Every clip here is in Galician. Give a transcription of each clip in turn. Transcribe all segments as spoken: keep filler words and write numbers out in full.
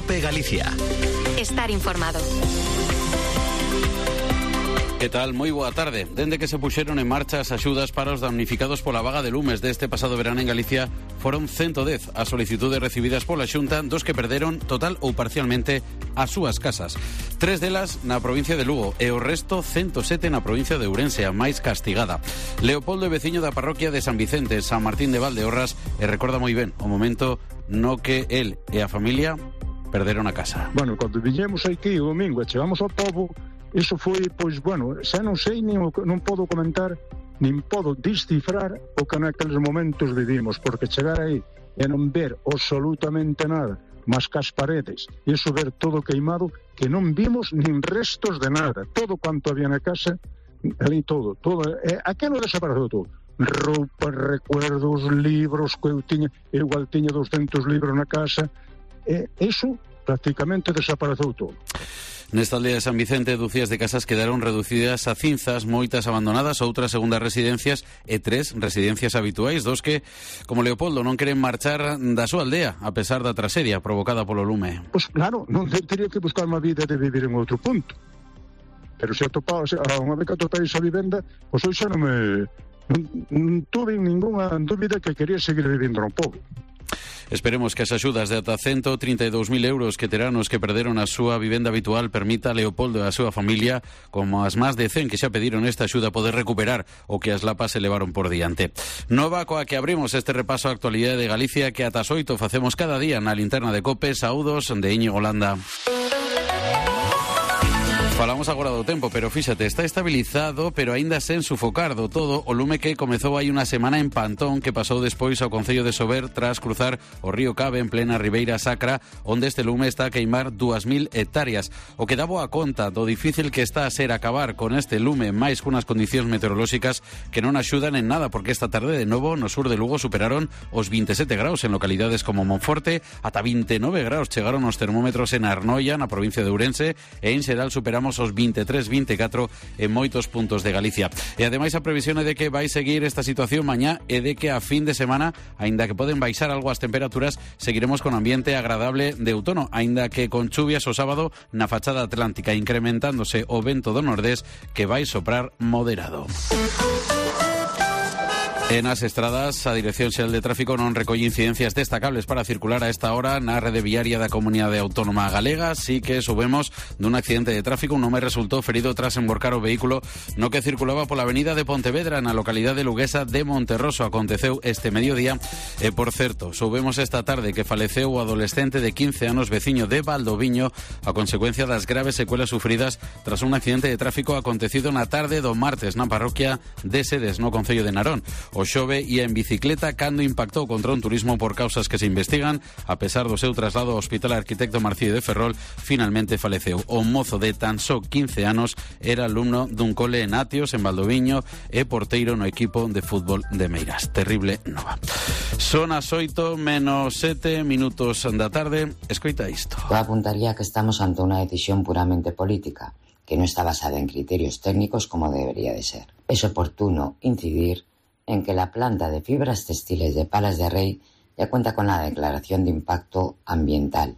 COPE Galicia. Estar informado. Que tal? Moi boa tarde. Dende que se puxeron en marcha as axudas para os damnificados pola vaga de lumes deste pasado verán en Galicia, foron ciento dez as solicitudes recibidas pola Xunta, dos que perderon total ou parcialmente as súas casas. Tres delas na provincia de Lugo e o resto ciento sete na provincia de Ourense, a máis castigada. Leopoldo é veciño da parroquia de San Vicente, San Martín de Valdeorras, e recorda moi ben o momento no que el e a familia perderon a casa. Bueno, cando viñemos aquí o domingo e chegamos ao pobo, iso foi, pois, bueno, xa non sei, nin o, non podo comentar, nin podo descifrar o que naqueles momentos vivimos, porque chegar aí e non ver absolutamente nada, mas que as paredes, e iso ver todo queimado, que non vimos nin restos de nada, todo quanto había na casa, ali todo, todo, e aquilo desapareceu todo, roupa, recuerdos, libros que eu tiña, eu igual tiña doscientos libros na casa, e iso prácticamente desapareceu todo. Nesta aldea de San Vicente, dúcias de casas quedaron reducidas a cinzas, moitas abandonadas, outras segundas residencias e tres residencias habituais, dos que, como Leopoldo, non queren marchar da súa aldea, a pesar da tragedia provocada polo lume. Pois claro, non teria que buscar unha vida de vivir en outro punto. Pero se atopaba, unha vez que atopei esa vivenda, pois hoxe xa non me... Non, non tuve ninguna dúbida que quería seguir vivindo no pobo. Esperemos que as axudas de ata ciento trinta e dous mil euros que terán os que perderon a súa vivenda habitual permita a Leopoldo e a súa familia, como as máis de cen que xa pediron esta axuda, poder recuperar o que as lapas se levaron por diante. Nova coa que abrimos este repaso á actualidade de Galicia que ata as oito facemos cada día na linterna de COPE. Saúdos de Íñigo Landa. Falamos agora do tempo, pero fíxate, está estabilizado, pero aínda sen sufocar do todo o lume que comezou hai unha semana en Pantón, que pasou despois ao concello de Sober tras cruzar o río Cabe en plena Ribeira Sacra, onde este lume está a queimar dúas mil hectáreas. O que dá boa conta do difícil que está a ser acabar con este lume, máis cunas condicións meteorolóxicas que non axudan en nada, porque esta tarde de novo no sur de Lugo superaron os veintisiete graus en localidades como Monforte, ata vinte e nove graus chegaron os termómetros en Arnoia, na provincia de Ourense, e en xeral superamos os veintitrés, veinticuatro en moitos puntos de Galicia. E ademais a previsión é de que vai seguir esta situación mañá e de que a fin de semana, aínda que poden baixar algo as temperaturas, seguiremos con ambiente agradable de outono, aínda que con chuvias o sábado na fachada atlántica, incrementándose o vento do nordés que vai soprar moderado. En as estradas, a Dirección Xeral de Tráfico non recolle incidencias destacables para circular a esta hora na rede viaria da Comunidade Autónoma Galega. Sí que subemos dun accidente de tráfico. Un home resultou ferido tras emborcar o vehículo no que circulaba pola avenida de Pontevedra na localidade luguesa de Monterroso. Aconteceu este mediodía e, por certo, subemos esta tarde que faleceu o adolescente de quince anos veciño de Valdoviño a consecuencia das graves secuelas sufridas tras un accidente de tráfico acontecido na tarde do martes na parroquia de Sedes, no concello de Narón. O xove ia en bicicleta cando impactou contra un turismo por causas que se investigan. A pesar do seu traslado ao Hospital Arquitecto Marcílio de Ferrol, finalmente faleceu. O mozo de tan só quince anos era alumno dun cole en Atios, en Valdoviño, e porteiro no equipo de fútbol de Meirás. Terrible nova. Son as oito menos sete minutos da tarde. Escoita isto. Eu apuntaría que estamos ante unha decisión puramente política, que non está basada en criterios técnicos como debería de ser. Es oportuno incidir en que la planta de fibras textiles de Palas de Rei ya cuenta con la declaración de impacto ambiental,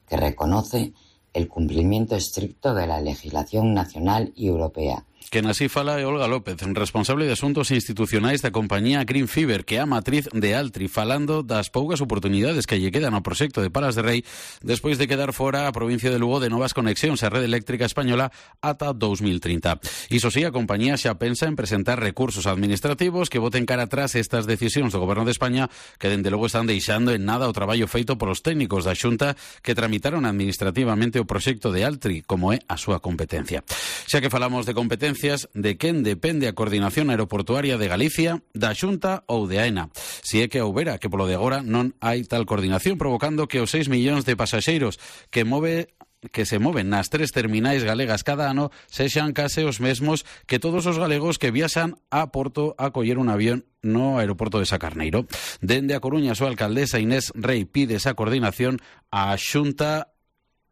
que reconoce el cumplimiento estricto de la legislación nacional y europea. Quen así fala é Olga López, responsable de asuntos institucionais da compañía Green Fiber, que é a matriz de Altri, falando das poucas oportunidades que lle quedan ao proxecto de Palas de Rei despois de quedar fora a provincia de Lugo de novas conexións á rede eléctrica española ata dous mil trinta. Iso sí, a compañía xa pensa en presentar recursos administrativos que boten cara atrás estas decisións do Goberno de España, que dende logo están deixando en nada o traballo feito polos técnicos da Xunta que tramitaron administrativamente o proxecto de Altri, como é a súa competencia. Xa que falamos de competencia, de quen depende a coordinación aeroportuaria de Galicia, da Xunta ou de AENA. Si é que houbera, que polo de agora non hai tal coordinación, provocando que os seis millóns de pasaxeiros que move que se moven nas tres terminais galegas cada ano sexan case os mesmos que todos os galegos que viaxan a Porto a coller un avión no aeroporto de Sacarneiro. Dende a Coruña, a súa alcaldesa Inés Rei pide esa coordinación á Xunta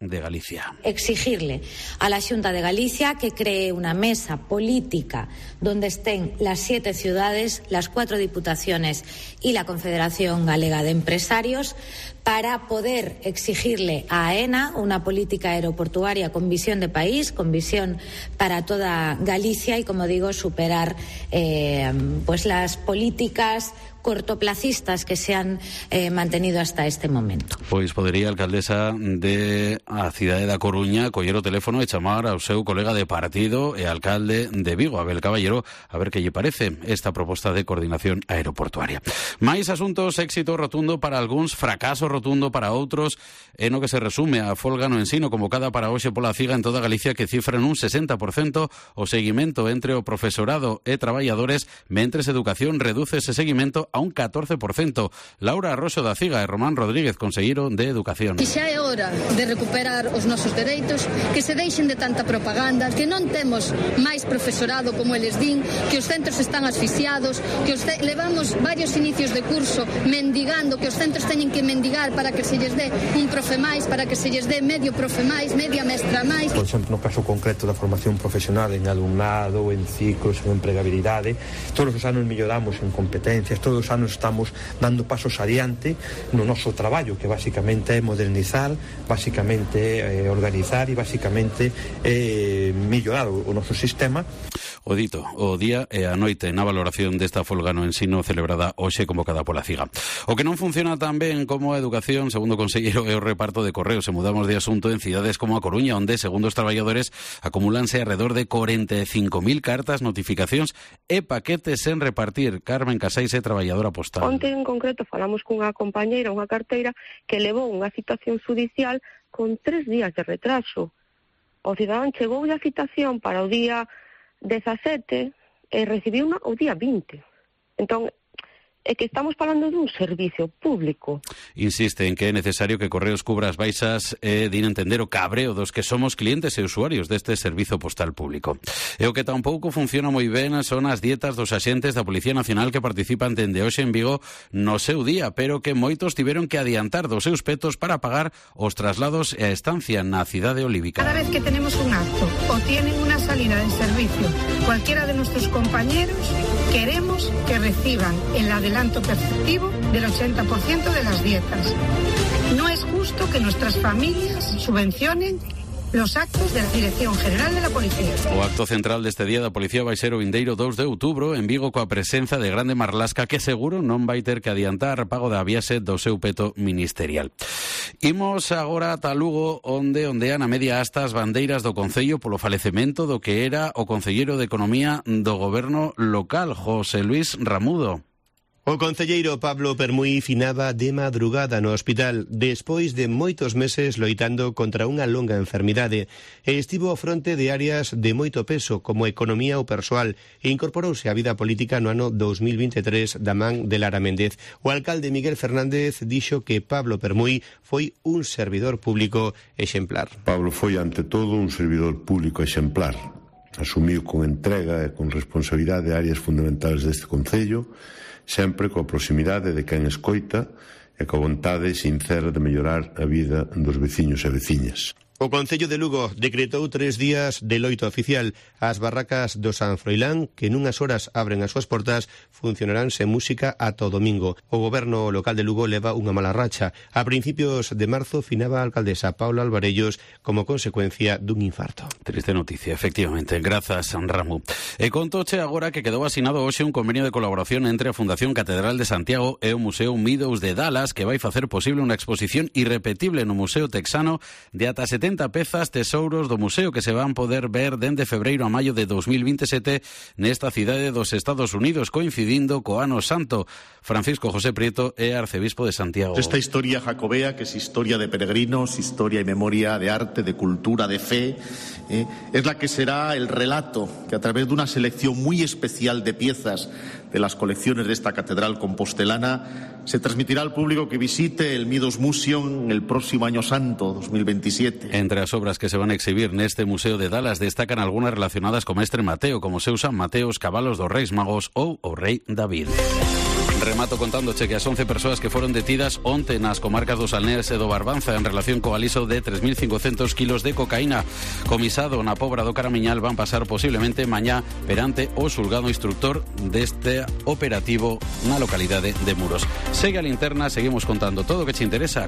de Galicia. Exigirle a la Xunta de Galicia que cree una mesa política donde estén las siete ciudades, las cuatro diputaciones y la Confederación Galega de Empresarios para poder exigirle a AENA una política aeroportuaria con visión de país, con visión para toda Galicia y, como digo, superar eh, pues las políticas cortoplacistas que se han eh, mantenido hasta este momento. Pois podería a alcaldesa de a cidade da Coruña coller o teléfono e chamar ao seu colega de partido e alcalde de Vigo, Abel Caballero, a ver que lle parece esta proposta de coordinación aeroportuaria. Mais asuntos, éxito rotundo para algúns, fracaso rotundo para outros, e no que se resume a folga no ensino convocada para hoxe pola CIGA en toda Galicia, que cifra nun sesenta por cento o seguimento entre o profesorado e traballadores, mentres Educación reduce ese seguimento a un catorce por cento. Laura Arroxo da CIGA e Román Rodríguez, conselleiro de Educación. E xa é hora de recuperar os nosos dereitos, que se deixen de tanta propaganda, que non temos máis profesorado como eles din, que os centros están asfixiados, que os levamos varios inicios de curso mendigando, que os centros teñen que mendigar para que se lles dé un profe máis, para que se lles dé medio profe máis, media mestra máis. Por exemplo, no caso concreto da formación profesional en alumnado, en ciclos, en empregabilidade, todos os anos melloramos en competencias, todos os anos estamos dando pasos adiante no noso traballo, que basicamente é modernizar, basicamente é organizar e basicamente é mellorar o noso sistema. O dito, o día e a noite na valoración desta folga no ensino celebrada hoxe convocada pola CIGA. O que non funciona tan ben como a educación, segundo o conselleiro, é o reparto de correos. Se mudamos de asunto en cidades como a Coruña, onde, segundo os traballadores, acumúlanse alrededor de corenta e cinco mil cartas, notificacións e paquetes sen repartir. Carmen Casais é traballadora postal. Onte en concreto falamos cunha compañeira, unha carteira, que levou unha citación judicial con tres días de retraso. O cidadán chegou a citación para o día dezasete e recibiu unha o día vinte. Entón, é que estamos falando dun servicio público. Insiste en que é necesario que Correos cubra as baixas e din entender o cabreo dos que somos clientes e usuarios deste servizo postal público. E o que tampouco funciona moi ben son as dietas dos axentes da Policía Nacional que participan dende hoxe en Vigo no seu día, pero que moitos tiveron que adiantar dos seus petos para pagar os traslados e a estancia na cidade olívica. Cada vez que tenemos un acto o tienen una salida en servicio, cualquiera de nuestros compañeros, queremos que reciban el adelanto perceptivo del ochenta por ciento de las dietas. No es justo que nuestras familias subvencionen los actos de la Dirección General de la Policía. O acto central deste día da Policía vai ser o vindeiro dous de outubro en Vigo, coa presenza de Grande Marlasca, que seguro non vai ter que adiantar pago da viaxe do seu peto ministerial. Imos agora ata Lugo, onde ondean a media asta as bandeiras do Concello polo falecemento do que era o concelleiro de Economía do Goberno local, José Luis Ramudo. O concelleiro Pablo Permuy finaba de madrugada no hospital despois de moitos meses loitando contra unha longa enfermidade e estivo ao fronte de áreas de moito peso como economía ou persoal e incorporouse á vida política no ano dous mil vinte e tres da man de Lara Méndez. O alcalde Miguel Fernández dixo que Pablo Permuy foi un servidor público exemplar. Pablo foi ante todo un servidor público exemplar. Asumiu con entrega e con responsabilidade áreas fundamentales deste concello, sempre coa proximidade de quen escoita e coa vontade sincera de mellorar a vida dos veciños e veciñas. O Concello de Lugo decretou tres días de loito oficial. As barracas do San Froilán, que nunhas horas abren as súas portas, funcionarán sen música ata o domingo. O goberno local de Lugo leva unha mala racha. A principios de marzo finaba a alcaldesa Paula Alvarellos como consecuencia dun infarto. Triste noticia, efectivamente. Grazas, Ramu. E contoche agora que quedou asinado hoxe un convenio de colaboración entre a Fundación Catedral de Santiago e o Museo Meadows de Dallas, que vai facer posible unha exposición irrepetible no Museo Texano de ata setenta pezas tesouros do museo que se van poder ver dende febreiro a maio de dous mil vinte e sete nesta cidade dos Estados Unidos, coincidindo co Ano Santo. Francisco José Prieto é arcebispo de Santiago. Esta historia jacobea, que es historia de peregrinos, historia y memoria de arte, de cultura, de fe, eh, es la que será el relato que a través de una selección muy especial de piezas de las colecciones de esta catedral compostelana se transmitirá al público que visite el Meadows Museum el próximo Año Santo, dos mil veintisiete. Entre as obras que se van a exhibir neste Museo de Dallas destacan algunhas relacionadas co mestre Mateo, como seus San Mateo, os cabalos dos Reis Magos ou o Rei David. Remato contándoche que as once persoas que foron detidas onte nas comarcas do Salnés e do Barbanza en relación co aliso de tres mil cincocentos kilos de cocaína comisado na Pobra do Caramiñal van pasar posiblemente mañá perante o xulgado instructor deste operativo na localidade de Muros. Segue a linterna, seguimos contando todo o que te interesa